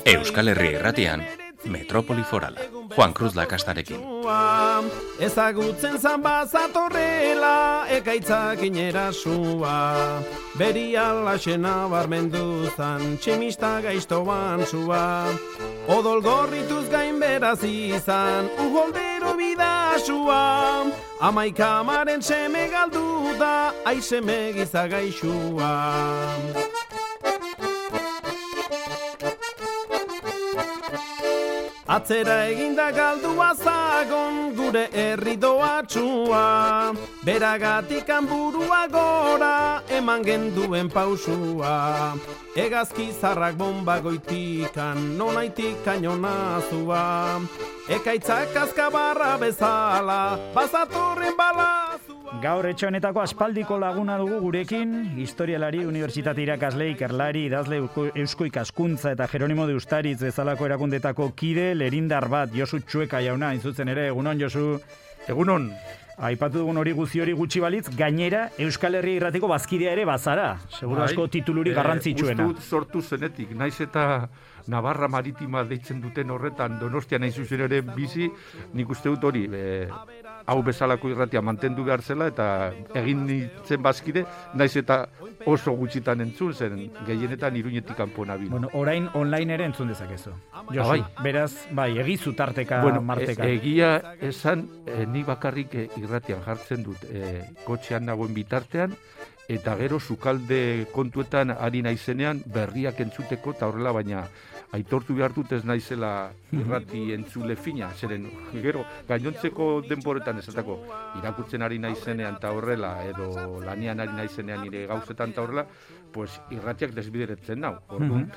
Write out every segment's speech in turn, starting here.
Euskal Herria Irratian, Metropoli Forala, Juan Cruz Lakastarekin. Ezagutzen zan bazatorrela, ekaitzak inerasua. Beriala xena barmendu zan, tximista gaiztoan zua. Odol gorrituz gain beraz izan, uholdero bidasua. Amaikamaren seme galdu da, aizeme gizagaixua. Atzera eginda galdua zagon gure herri doatxua. Beragatikan burua gora eman genduen pausua. Egazki zarrak bomba goitikan nonaitik kainonazua. Ekaitzak azkabarra bezala bazatorren balazua. Gaur etxe honetako aspaldiko laguna dugu gurekin, historialari, unibertsitate irakasle, ikerlari, idazle eusko ikaskuntza eta Jeronimo de Ustaritz bezalako erakundetako kide, lerindar bat, Josu Txueka jauna, intzutzen ere, egunon Josu. Egunon. Aipatu dugun hori gutxi balitz, gainera Euskal Herria Irratiko bazkidea ere bazara. Seguru asko tituluri garrantzitsuena. Uste sortu zenetik, naiz eta Navarra Maritima deitzen duten horretan Donostian hain zuzen ere bizi, nik uste dut hori, hau bezalako irratia mantendu behar zela eta egin nintzen bazkide, naiz eta oso gutxitan entzun zen, gehienetan Iruñetik kanpo nabil. Bueno, orain online ere entzun dezakezu. Josu, beraz, egizu tarteka, marteka. Egia esan, ni bakarrik irratian jartzen dut, kotxean nagoen bitartean, eta gero sukalde kontuetan ari naizenean berriak entzuteko eta horrela, baina aitortu behar dut ez naizela irrati entzule fina, zeren gero gainontzeko denboretan esatako irakurtzen ari naizenean eta horrela, edo lanian ari naizenean nire gauzetan eta horrela, pues irratiak desbideretzen nau. Orduan,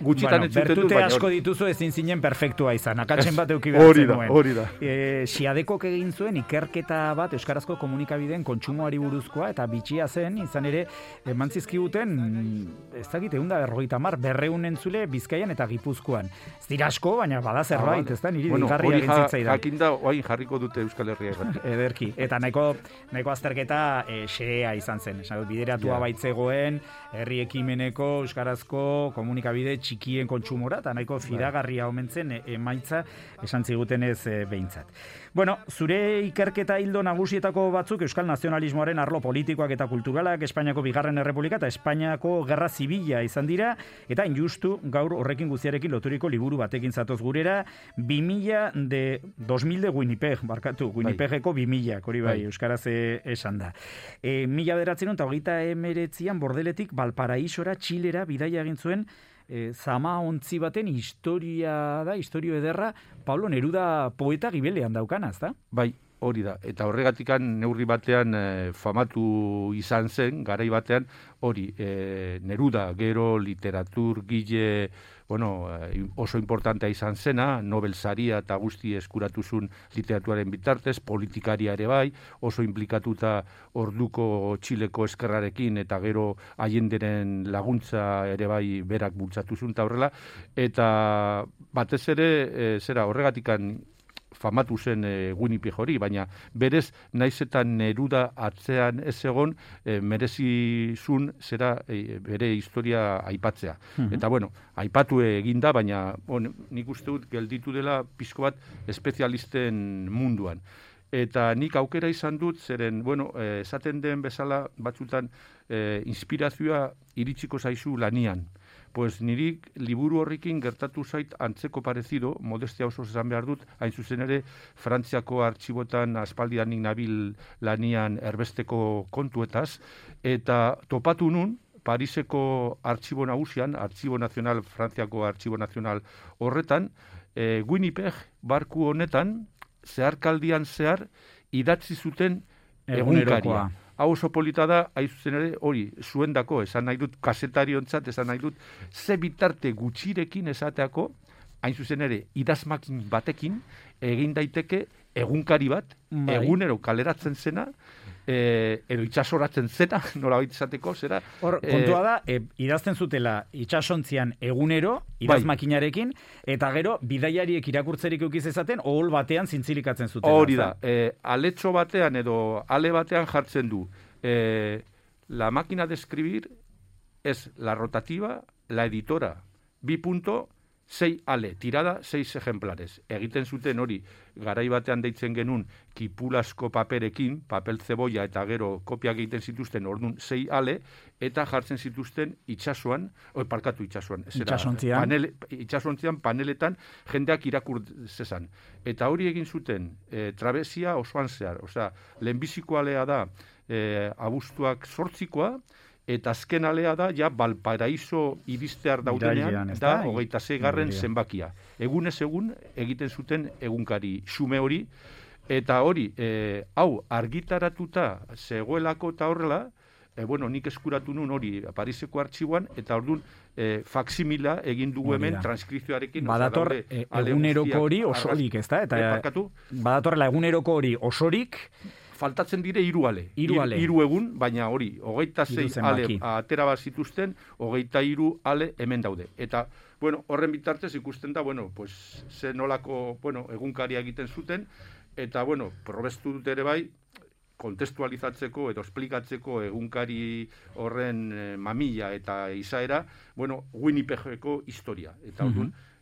gutxitan entzuten dut, bertute asko dituzu ezin zinen perfektua izan, akatsen bat euki behar zenuen. Hori da. Siadekok egin zuen ikerketa bat Euskarazko komunikabideen kontsumoari buruzkoa, eta bitxia zen, izan ere, eman zizkiguten, ez dakit, 150, 200 entzule Bizkaian eta Gipuzkoan. Ez dira asko, baina bada zerbait, ez da, niri digarria egin zitzaidan. Jakinda, oain jarriko dute Euskal Herria irratia. Ederki, eta nahiko azterketa xea izan zen. Bideratua baitzegoen, herri ekimeneko Euskarazko komunikabide txikien kontsumora, eta nahiko fidagarria omentzen emaitza esan zigutenez behintzat. Bueno, zure ikerketa hildo nagusietako batzuk Euskal nazionalismoaren arlo politikoak eta kulturalak, Espainiako Bigarren Errepublika eta Espainiako Gerra Zibila izan dira, eta injustu gaur horrekin guztiarekin loturiko liburu batekin zatoz gurera, 2000 de Winnipeg, Winnipegeko 2000, hori bai, Euskaraz esan da. 1929an Bordeletik Valparaísora, Txilera, bidaia egin zuen, zama ontzi baten historio ederra, Pablo Neruda poeta gibelean daukana, ezta? Bai, hori da. Eta horregatikan neurri batean famatu izan zen, garai batean, hori, Neruda, gero literatur, gile, oso importantea izan zena, Nobel saria eta guzti eskuratuzun literaturaren bitartez, politikaria ere bai, oso implikatuta orduko Txileko eskerrarekin eta gero Allenderen laguntza ere bai berak bultzatuzun eta horrela, eta batez ere, horregatikan famatu zen Winnipeg hori, baina berez naiz eta Neruda atzean ez egon merezizun bere historia aipatzea. Eta aipatu eginda, baina nik uste dut gelditu dela pizko bat espezialisten munduan. Eta nik aukera izan dut, zeren, esaten den bezala batzutan inspirazioa iritsiko zaizu lanian. Pues niri liburu horrekin gertatu zait antzeko parezido, modestia oso esan behar dut, hain zuzen ere Frantziako artxibotan aspaldianik nabil lanian erbesteko kontuetaz, eta topatu nun Pariseko artxibo nagusian, Artxibo Nazional, Frantziako Artxibo Nazional horretan, Winnipeg barku honetan, zeharkaldian zehar, idatzi zuten egunkaria. Hau oso polita da, hain zuzen ere, hori, zuendako, esan nahi dut, kasetariontzat, esan nahi dut, ze bitarte gutxirekin esateako, hain zuzen ere, idazmakin batekin, egin daiteke egunkari bat, egunero kaleratzen zena, edo itxasoratzen zena, nola baita izateko, zera. Hor, kontua da, idazten zutela itxasontzian egunero, idazmakinarekin, eta gero, bidaiariek irakurtzerik eukiz ezaten, ohol batean zintzilikatzen zutela. Hori da, aletxo batean edo ale batean jartzen du, la máquina de escribir es la rotativa, la editora, 6 ale, tirada 6 ejemplares. Egiten zuten hori, garai batean deitzen genuen kipulasko paperekin, papel zeboia eta gero kopiak egiten zituzten orduan 6 ale, eta jartzen zituzten itsasoan, itsasontzian paneletan jendeak irakur zezan. Eta hori egin zuten trabesia osoan zehar. Osea, lehenbiziko alea da abuztuak 8koa, eta azken alea da, ja, Valparaiso iristear daudenean, da, 26. zenbakia. Egunez egun egiten zuten egunkari xume hori, eta hori, hau, argitaratuta zegoelako eta horrela, nik eskuratu nun hori Pariseko artxiboan, eta orduan faksimila egin dugu hemen transkripzioarekin. Badator eguneroko hori osorik, ez da? Badatorrela eguneroko hori osorik, faltatzen dire 3 ale. 3 egun, baina hori, 26 ale atera bat zituzten, 23 ale hemen daude. Eta, horren bitartez ikusten da, ze nolako, egunkaria egiten zuten, eta, probestu dut ere bai, kontestualizatzeko edo esplikatzeko egunkari horren mamila eta izaera, Winnipegeko historia. Eta,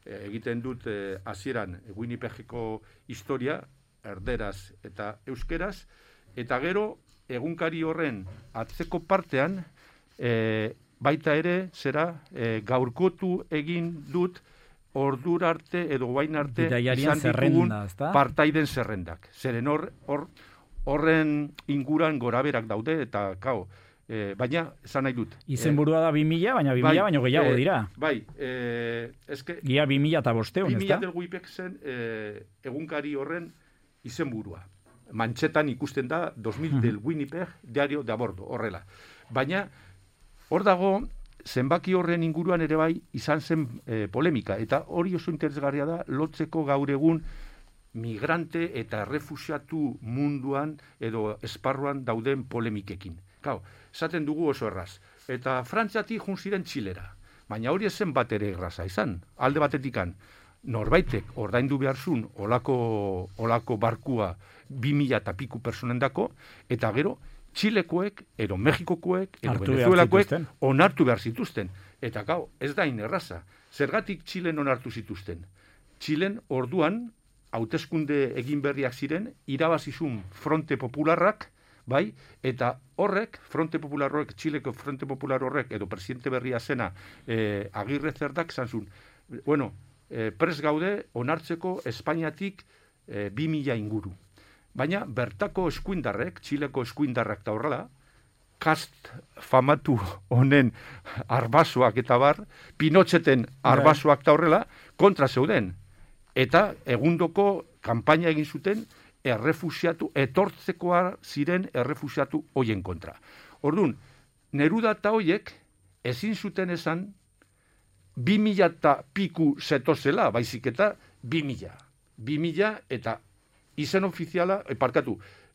egiten dut hasieran Winnipegeko historia, erderaz eta euskeraz, eta gero egunkari horren atzeko partean baita ere gaurkotu egin dut ordura arte edo guain arte izan ditugun partaiden zerrendak. Zeren horren inguran goraberak daude eta baina esan nahi dut. Izenburua da 2000, baina 2000 baino gehiago dira. Bai, Gia 2000 eta 500, ez da? 2000 del Winnipeg zen egunkari horren izenburua. Mantxetan ikusten da 2000 del Winnipeg diario de a bordo, horrela. Baina, hor dago, zenbaki horren inguruan ere bai izan zen polemika. Eta hori oso interesgarria da, lotzeko gaur egun migrante eta errefuxiatu munduan edo esparruan dauden polemikekin. Esaten dugu oso erraz. Eta Frantziatik jun ziren Txilera. Baina hori zen bat ere erraza izan. Alde batetikan, norbaitek ordaindu behar zuen olako barkua 2000 eta piku personendako, eta gero Txilekoek, edo Mexikokoek, edo Venezuelakoek onartu behar zituzten. Eta ez da inerraza. Zergatik Txilen onartu zituzten? Txilen orduan, hauteskunde egin berriak ziren, irabazizun Fronte Popularrak, bai, eta horrek, Fronte Popular horrek, Txileko Fronte Popular horrek, edo presidente berria zena Agirre Zerdak, zantzun, pres gaude onartzeko Espainiatik 2000 inguru. Baina bertako eskuindarrek, Txileko eskuindarrak da horrela, kast famatu honen arbasoak eta bar, Pinocheten arbasoak da horrela, kontra zeuden. Eta egundoko kanpaina egin zuten errefusiatu, etortzekoa ziren errefusiatu hoien kontra. Orduan, Neruda eta hoiek ezin zuten esan 2000 eta piku zetozela, baizik eta 2000. 2000 eta izen ofiziala,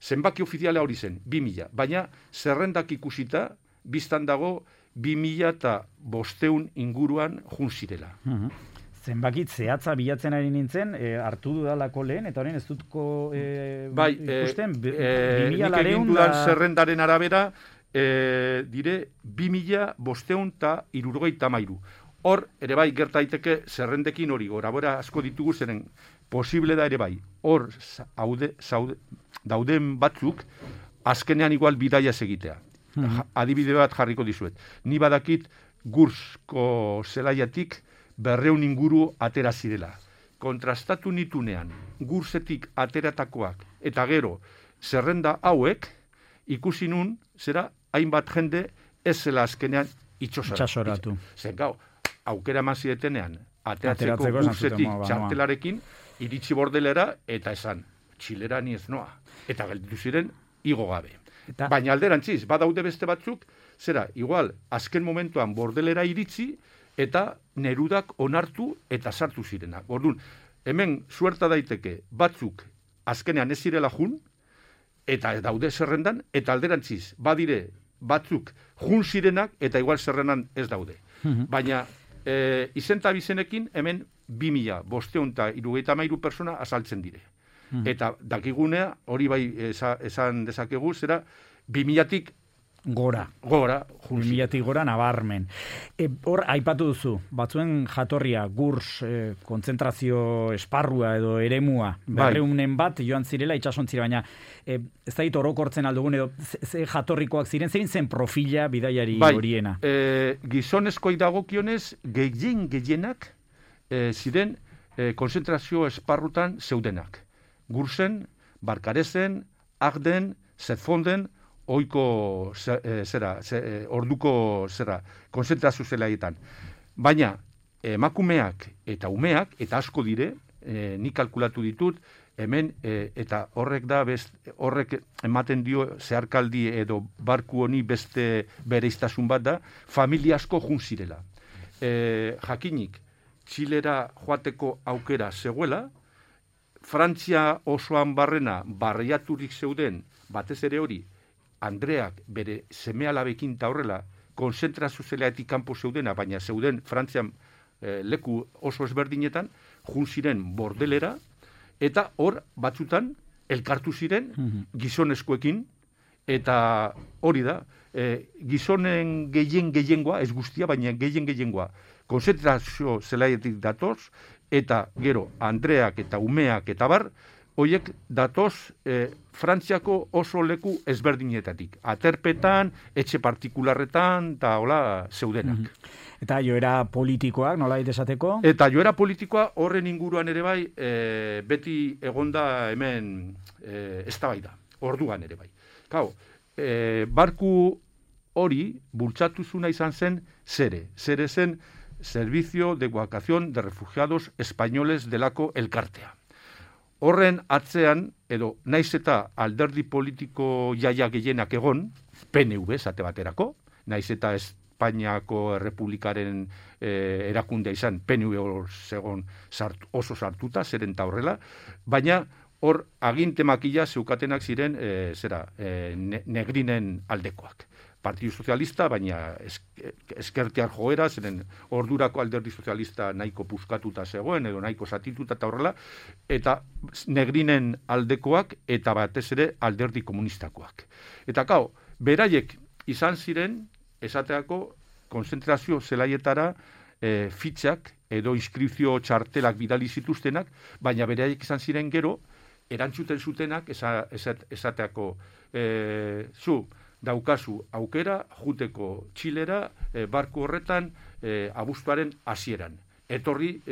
zenbaki ofiziala hori zen, 2000. Baina zerrendak ikusita, biztan dago 2000 eta 500 inguruan jun zirela. Zenbakit zehatza bilatzen ari nintzen, hartu dudalako lehen, eta horren ez dutko ikusten, 2000 nik egin dudan zerrendaren arabera, dire 2573. Hor, ere bai, gertaiteke zerrendekin hori, gorabora asko ditugu zeren posible da ere bai. Hor, dauden batzuk, azkenean igual bidaia egitea. Adibide bat jarriko dizuet. Ni badakit Gursko zelaiatik 200 inguru atera zirela. Kontrastatu nitunean, Gursetik ateratakoak, eta gero, zerrenda hauek, ikusi nun, zera, hainbat jende, ez zela azkenean itxosoratu. Zer, aukera eman ziretenean, ateratzeko Gursetik txartelarekin, iritsi bordelera, eta esan, Txilera ni ez noa. Eta gelditu ziren, igo gabe. Baina alderantziz, badaude beste batzuk, zera, igual, azken momentuan bordelera iritsi, eta Nerudak onartu eta sartu zirenak. Orduan, hemen suerta daiteke batzuk azkenean ez zirela jun, eta daude zerrendan, eta alderantziz, badire batzuk jun zirenak, eta igual zerrendan ez daude. Baina, izenta bizenekin, hemen 2573 persona azaltzen dire. Eta dakigunea, hori bai esan dezakegu, zera 2000-tik Gora. Gora, junsi. 2000-tik gora nabarmen. Hor, aipatu duzu, batzuen jatorria, gurs, kontzentrazio esparrua edo eremua, berreunen bat joan zirela itxasontzira, baina ez da orokortzen aldugun edo ze jatorrikoak ziren, zein zen profila bidaiari horiena? Gizonezkoi dagokionez, gehienak ziren konzentrazio esparrutan zeudenak. Gursen, Barkarezen, Agden, Zetfonden, oiko orduko konzentrazio zelaietan. Baina emakumeak eta umeak, eta asko dire, nik kalkulatu ditut, hemen, eta horrek ematen dio zeharkaldi edo barku honi beste bereiztasun bat da, familia asko jun zirela. Jakinik, Txilera joateko aukera zegoela, Frantzia osoan barriaturik zeuden, batez ere hori, Andreak bere seme-alabekin ta horrela, konzentrazio zelaetik kanpo zeudena, baina zeuden Frantzian leku oso ezberdinetan, jun ziren bordelera, eta hor batzutan elkartu ziren gizonezkoekin, eta hori da, gizonen gehiengoa, ez guztia, baina gehiengoa, konzentrazio zelaetik datoz, eta gero Andreak eta umeak eta bar, hoiek datoz Frantziako oso leku ezberdinetatik. Aterpetan, etxe partikularretan, eta hola zeudenak. Eta joera politikoak, nola esateko? Eta joera politikoa horren inguruan ere bai, beti egonda hemen eztabaida, orduan ere bai. Kau, barku hori bultzatuzuna izan zen zere zen Servicio de Evacuación de Refugiados Españoles delako elkartea. Horren atzean, edo naiz eta alderdi politiko jaia gehienak egon, PNV esate baterako, naiz eta Espainiako Errepublikaren erakundea izan, PNV zegon oso sartuta, zeren ta horrela, baina hor aginte makila zeukatenak ziren negrinen aldekoak. Partidu Sozialista, baina eskertiar joera, zeren ordurako alderdi sozialista nahiko puskatuta zegoen, edo nahiko satituta eta horrela, eta negrinen aldekoak, eta batez ere alderdi komunistakoak. Eta beraiek izan ziren, esateako, konzentrazio zelaietara fitxak, edo inskripzio txartelak bidali zituztenak, baina beraiek izan ziren gero, erantzuten zutenak, esateako, daukazu aukera juteko Txilera barku horretan abuztuaren hasieran. Etorri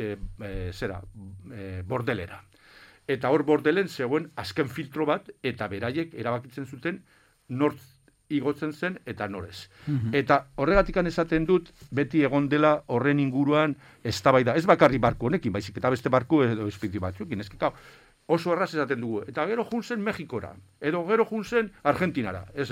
bordelera. Eta hor bordelen zegoen azken filtro bat eta beraiek erabakitzen zuten nortz igotzen zen eta norez. Eta horregatikan esaten dut beti egon dela horren inguruan eztabaida. Ez bakarri barku honekin, baizik eta beste barku edo espiritu batzuekin. Oso erraz esaten dugu. Eta gero juntzen Mexikora, edo gero juntzen Argentinara. Ez,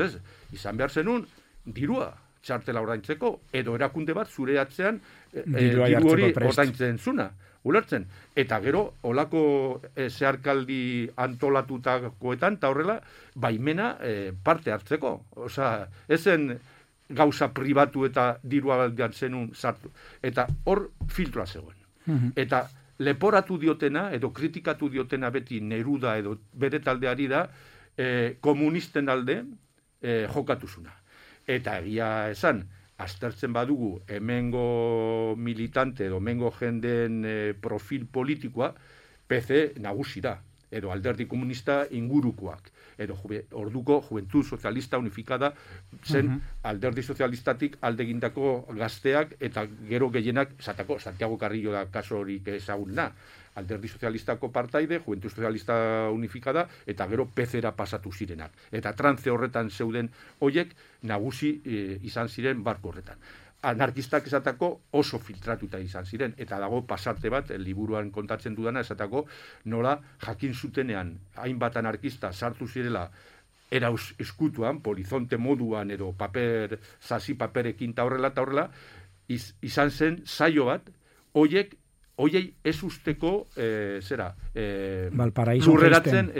izan behar zenun dirua txartela ordaintzeko, edo erakunde bat zure atzean diru hori ordaintzen zuna, ulertzen. Eta gero, olako zeharkaldi antolatutakoetan, eta horrela, baimena parte hartzeko. Osa, ezen gauza pribatu eta dirua galdean zenun sartu. Eta hor filtroa zegoen. Eta leporatu diotena, edo kritikatu diotena beti Neruda edo bere taldeari da, komunisten alde jokatuzuna. Eta egia esan, aztertzen badugu hemengo militante edo hemengo jenden profil politikoa, PC nagusi da, edo alderdi komunista ingurukoak, edo orduko Juventud Sozialista Unifikada zen alderdi sozialistatik aldegindako gazteak eta gero gehienak, esatako, Santiago Carrillo da kaso horik ezaguna, alderdi sozialistako partaide, Juventud Sozialista Unifikada, eta gero PC-era pasatu zirenak. Eta trantze horretan zeuden hoiek nagusi izan ziren barko horretan. Anarkistak esatako oso filtratuta izan ziren, eta dago pasarte bat, liburuan kontatzen dudana, esatako nola jakin zutenean hainbat anarkista sartu zirela era eskutuan, polizonte moduan edo zazi paperekin ta horrela, izan zen saio bat, hoiei ez usteko lurreratzen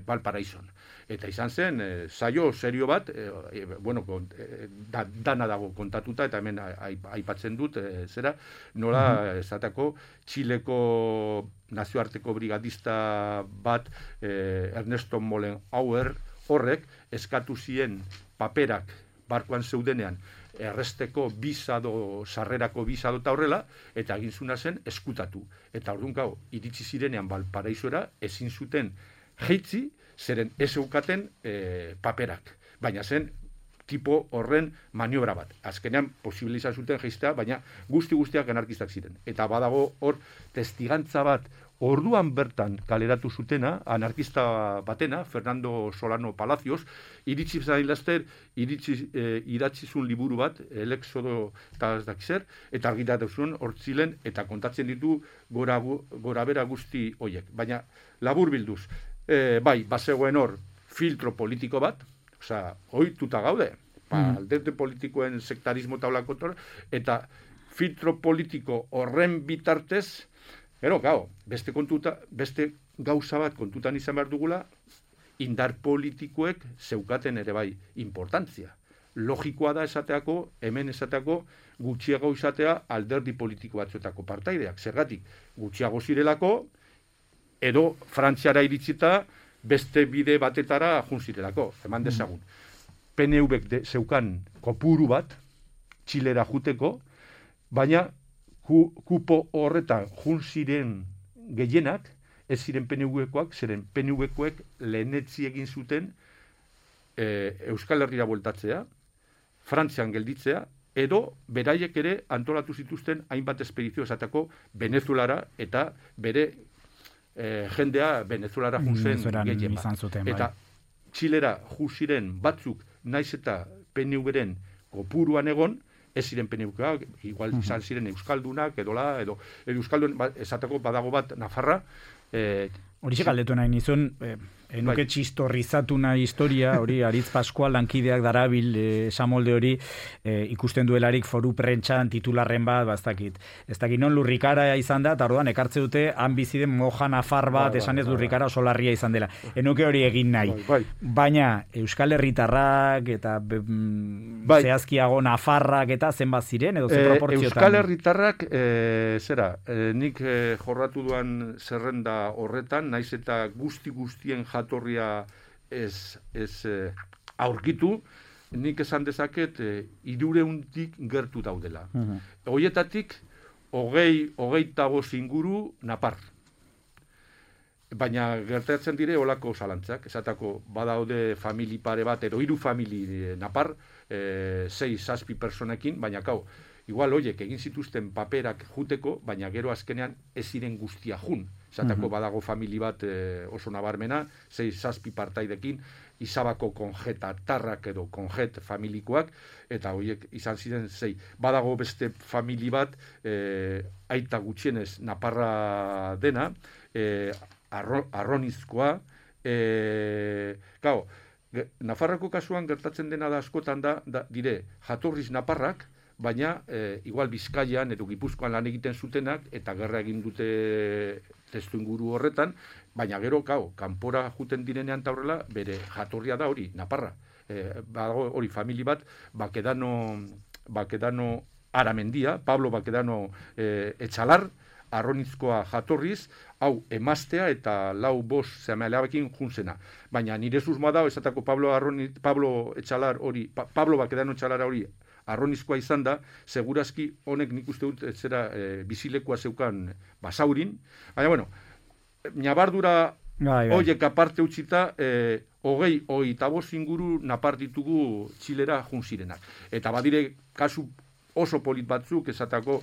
Valparaizon. Eta izan zen, saio serio bat, dana dago kontatuta, eta hemen aipatzen dut, nola, esatako, Txileko nazioarteko brigadista bat, Ernesto Mollenhauer, horrek, eskatu zien paperak barkoan zeudenean, erresteko sarrerako bizado eta horrela, eta egin zuna zen eskutatu. Eta orduan gau, iritsi zirenean Valparaisora, ezin zuten jeitzi, zeren ez eukaten paperak. Baina zen, tipo horren maniobra bat. Azkenean, posibiliza zuten jeiztea, baina guztiak anarkistak ziren. Eta badago hor, testigantza bat, orduan bertan kaleratu zutena, anarkista batena, Fernando Solano Palacios, iritsi zailazter, idatzizun liburu bat, El Éxodo eta ez dakizer, eta argitatu zuen hortzilen, eta kontatzen ditu gora bera guzti hoiek. Baina, labur bilduz, bai, bazegoen hor, filtro politiko bat, osea, ohituta gaude, alderdi politikoen sektarismo taulako eta filtro politiko horren bitartez, gero, beste gauza bat kontutan izan behar dugula, indar politikoek zeukaten ere bai importantzia. Logikoa da esateako, hemen esateako, gutxiago izatea alderdi politiko batzuetako partaideak. Zergatik, gutxiago zirelako, edo Frantziara iritsita beste bide batetara jun zirelako, eman dezagun. PNV-ek zeukan kopuru bat, Txilera juteko, baina kupo horretan jun ziren gehienak, ez ziren PNV-koak, ziren PNV-koek lehenetzi egin zuten Euskal Herrira bueltatzea, Frantzian gelditzea, edo beraiek ere antolatu zituzten hainbat espedizio esateko Venezuelara eta bere jendea Venezuelara jun zen gehien bat. Eta Txilera jun ziren batzuk naiz eta PNV-ren kopuruan egon, ez ziren PNV-koak, igual izan ziren euskaldunak, edo euskaldun, esateko badago bat Nafarra. Horixe galdetu nahi nizun, enuke txistorrizatu nahi historia, hori Aritz Pascual lankideak darabil esamolde hori ikusten duelarik foru prentxan titularren bat, ez dakit non lurrikara izan da, eta orduan ekartze dute han biziden moja nafar bat, esanez lurrikara oso larria izan dela. Enuke hori egin nahi. Baina Euskal Herritarrak eta zehazkiago Nafarrak eta zenbat ziren, edo ze proportziotan? Euskal Herritarrak, nik jorratu duan zerrenda horretan, naiz eta guztien jatorria ez aurkitu, nik esan dezaket 300-tik gertu daudela. Hoietatik, 25 inguru Napar. Baina gertatzen dire olako zalantzak, esatako badaude famili pare bat, edo 3 famili Napar, 6-7 personekin, baina igual hoiek egin zituzten paperak juteko, baina gero azkenean ez ziren guztia jun. Esatako badago famili bat oso nabarmena, 6-7 partaidekin, Izabako konjetatarrak edo konjet familikoak, eta horiek izan ziren 6. Badago beste famili bat, aita gutxienez Naparra dena, arronizkoa, Nafarrako kasuan gertatzen dena da askotan da dire jatorriz Naparrak, baina igual Bizkaian edo Gipuzkoan lan egiten zutenak, eta gerra egin dute testu inguru horretan, baina gero, kanpora juten direnean eta horrela, bere jatorria da hori, Naparra. Badago hori famili bat, Bakedano Aramendia, Pablo Bakedano Etxalar, arronizkoa jatorriz, hau emaztea eta 4-5 zemealabekin juntzena. Baina nire susmoa da, esatako Pablo Bakedano Etxalara hori, arronizkoa izan da, segurazki honek nik uste dut zera bizilekoa zeukan Basaurin. Baina, bueno, nabardura hoiek aparte utzita, 25 inguru Napar ditugu Txilera junzirenak. Eta badire kasu oso polit batzuk, esatako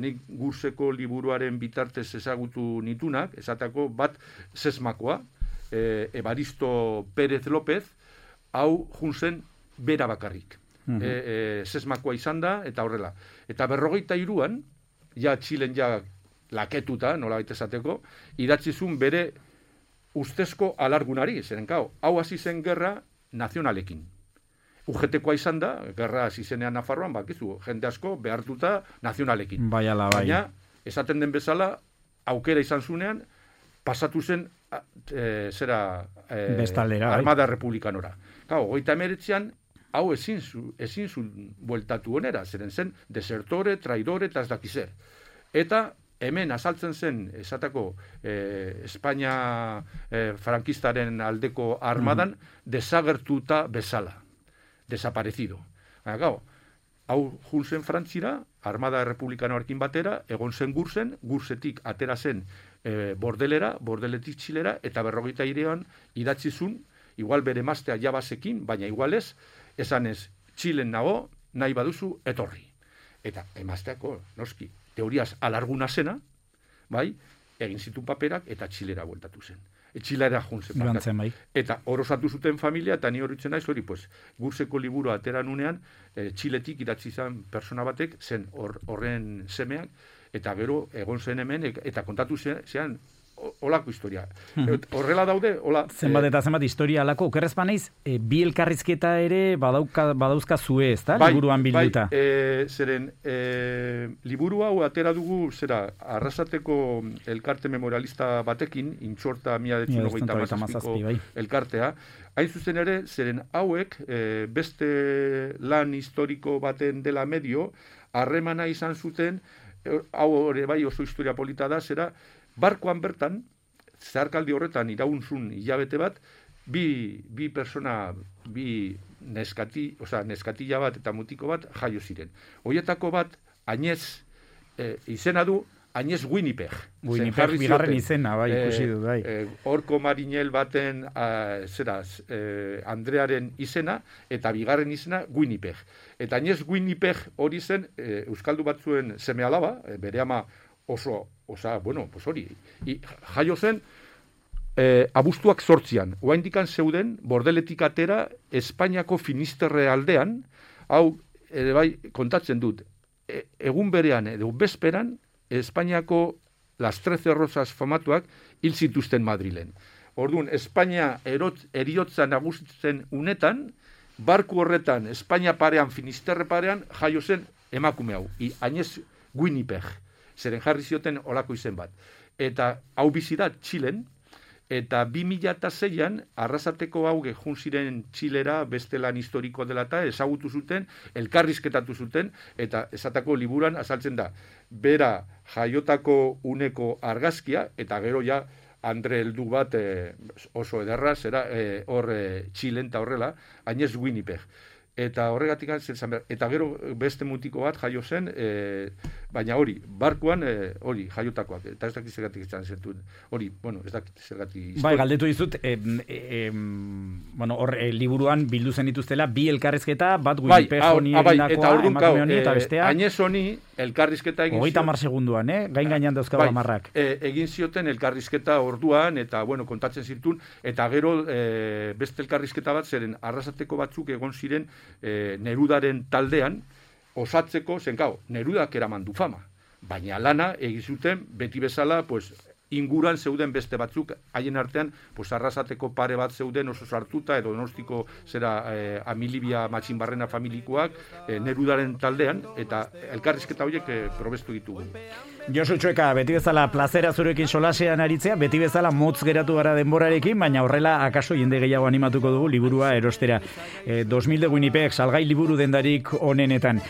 nik Gurseko liburuaren bitartez ezagutu nitunak, esatako bat Sesmakoa, Evaristo Pérez López, hau junzen bera bakarrik. Sesmakoa izan da, eta horrela. Eta 53an, Txilen laketuta, nola baita esateko, idatzizun bere ustezko alargunari, zeren hau hasi zen gerra nazionalekin. UGT-koa izan da, gerra hasi zenean Nafarroan, bakizu, jende asko behartuta nazionalekin. Baina, esaten den bezala, aukera izan zunean, pasatu zen Armada Republikanora. 39an, hau ezin zuen bueltatu onera, zeren zen desertore, traidore eta ez dakizer. Eta hemen azaltzen zen, esatako Espainia frankistaren aldeko armadan, desagertuta bezala, desaparecido. Gau, hau junzen Frantzira, Armada Republikanoarekin batera, egon zen Gurzetik atera zen Bordelera, Bordeletik Txilera, eta 43an idatzizun, igual bere emaztea jabasekin, baina igualez, esanez, Txilen nago, nahi baduzu, etorri. Eta emazteako, noski, teoriaz alarguna zena, bai, egin zituen paperak, eta Txilera bueltatu zen. Txilera juntzen. Bai. Eta horosatu zuten familia, eta ni horitzen naiz, hori, pues, Gurzeko liburu ateran unean, Txiletik idatzi zen persona batek, zen horren semeak, eta gero egon zen hemen, eta kontatu zean, olako historia. Horrela daude, hola... Zenbat eta zenbat historia alako, okerrez banaiz, bi elkarrizketa ere badauzka zue, ez da? Liburuan bilduta. Zeren, liburu hau atera dugu, Arrasateko elkarte memorialista batekin, Intxorta 1997ko elkartea, hain zuzen ere, zeren hauek, beste lan historiko baten dela medio, harremana izan zuten, hau ere bai oso historia polita da, barkoan bertan, zeharkaldi horretan iraunzun hilabete bat, bi persona, bi neskatila bat eta mutiko bat jaio ziren. Hoietako bat, Añez, izena du, Añez Winnipeg. Winnipeg bigarren izena, bai, ikusi du, bai. Horko marinel baten, Andrearen izena, eta bigarren izena Winnipeg. Eta Añez Winnipeg hori zen, euskaldu batzuen seme alaba, bere ama jaio zen, abuztuak 8an, oaindikan zeuden, Bordeletik atera, Espainiako Finisterre aldean, hau, ere bai, kontatzen dut, egun berean, edo bezperan, Espainiako Las 13 Rosas famatuak hil zituzten Madrilen. Orduan, Espainia eriotza nagusitzen unetan, barku horretan, Espainia parean, Finisterre parean, jaio zen emakume hau, Añez Winnipeg. Zeren jarri zioten olako izen bat. Eta hau bizi da Txilen, eta 2006an Arrasateko hauge jun ziren Txilera beste lan historiko dela eta ezagutu zuten, elkarrizketatu zuten, eta esatako liburan azaltzen da. Bera jaiotako uneko argazkia, eta gero ja Andre heldu bat oso ederra, hor Txilen eta horrela, Añez Winnipeg. Eta horregatik eta gero beste mutiko bat jaio zen, baina hori, barkuan hori, jaiotakoak, eta ez dakit zergatik izan zentuen. Hori, ez dakit zergatik... Bai, galdetu dizut, hor, liburuan bildu zen dituztela, bi elkarrizketa, bat Winnipeg honi egindakoa, emakume honi, eta bestea... Añez honi, elkarrizketa egin zioten... 30 segunduan, gainan dauzka amarrak. Egin zioten elkarrizketa orduan, eta, kontatzen zirtun, eta gero beste elkarrizketa bat, zeren Arrasateko batzuk egon ziren Nerudaren taldean, osatzeko, Nerudak eraman du fama. Baina lana egizuten beti bezala, inguran zeuden beste batzuk, haien artean, Arrasateko pare bat zeuden oso sartuta, edo Donostiko Amilibia Matxinbarrena familikoak, Nerudaren taldean, eta elkarrizketa horiek probestu ditugu. Josu Txueka, beti bezala plazera zurekin solasean aritzea, beti bezala motz geratu gara denborarekin, baina horrela akaso jende gehiago animatuko dugu liburua erostera. 2000 de Winnipeg, salgai liburu dendarik onenetan.